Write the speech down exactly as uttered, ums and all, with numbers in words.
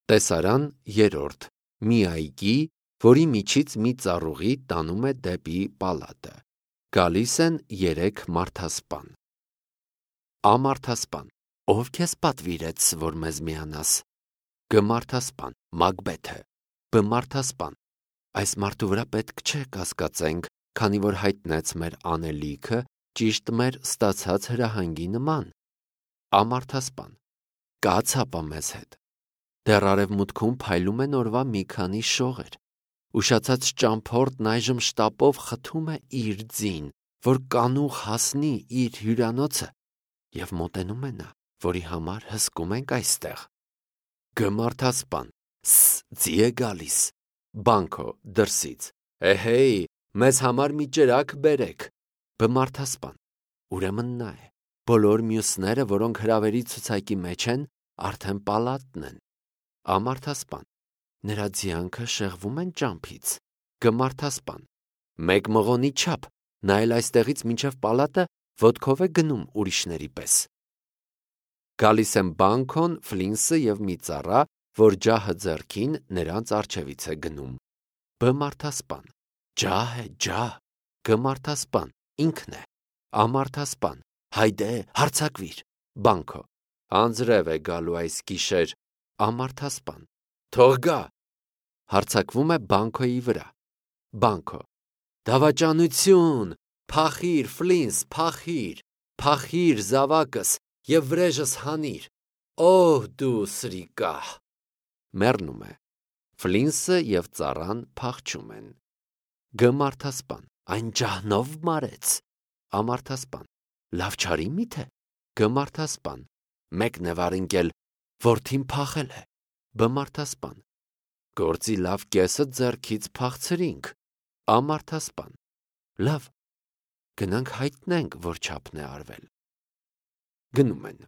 Տեսարան երրորդ. Մի այգի, որի միջից մի ծառուղի տանում է դեպի պալատը։ Գալիս են երեք մարդասպան։ Ամարդասպան. Ով քեզ պատվիրեց, որ մեզ միանաս։ Գմարդասպան. Մագբեթը։ Բմարդասպան. Այս մարդու վրա պետք չէ կասկածենք, քանի որ հայտնեց մեր անելիքը ճիշտ մեր ստացած հրահանգի նման։ Ամարդասպան. Կաց հապա մեզ հետ։ Դեռ արևմուտքում փայլում են օրվա մի քանի շողեր։ Ուշացած ճամփորդն այժմ շտապով խթում է իր ձին, որ կանուխ հասնի իր հյուրանոցը, և մոտենում է նա, որի համար հսկում ենք այստեղ։ Գմարդասպան. Ս, ձի է գալիս։ Բանքո դրսից. Էհեյ, մեզ համար մի ջրակ բերեք։ Բմարդասպան. Ուրեմն նա է։ Բոլոր մյուսները, որոնք հրավերի ցուցակի մեջ են, արդեն պալատն են։ Ամարդասպան. Նրա ձիանքը շեղվում են ճամփից։ Գմարդասպան. Մեկ մղոնի չափ, նա էլ այստեղից մինչև պալատը ոտքով է գնում ուրիշների պես։ Գալիս են Բանքոն, Ֆլինսը և մի ծառա, որ ջահը ձեռքին նրանց առջևից է գնում։ Բմարդասպան. Ջահ է, ջահ։ Գմարդասպան. Ինքն է։ Ամարդասպան. Հայդե, հարձակվիր։ Բանքո. Անձրև է գալու այս գիշեր։ Ամարդասպան. Թող գա։ Հարձակվում է Բանքոյի վրա։ Բանքո. Դավաճանություն, փախիր, Ֆլինս, փախիր, փախիր զավակս և վրեժս հանիր։ Օհ դու սրիկահ։ Մեռնում է։ Ֆլինսը և ծառան փախչում են։ Գմարդասպան. Այն ջահնով մարեց։ Ամարդասպան. Լավ չարի միթե։ Գմարդասպան. Մեկն է վարինկել, որդին փախել է։ Բմարդասպան. Գործի լավ կեսը ձեռքից փախցրինք։ Ամարդասպան. Լավ, գնանք հայտնենք, որ չափն է արվել։ Գնում են։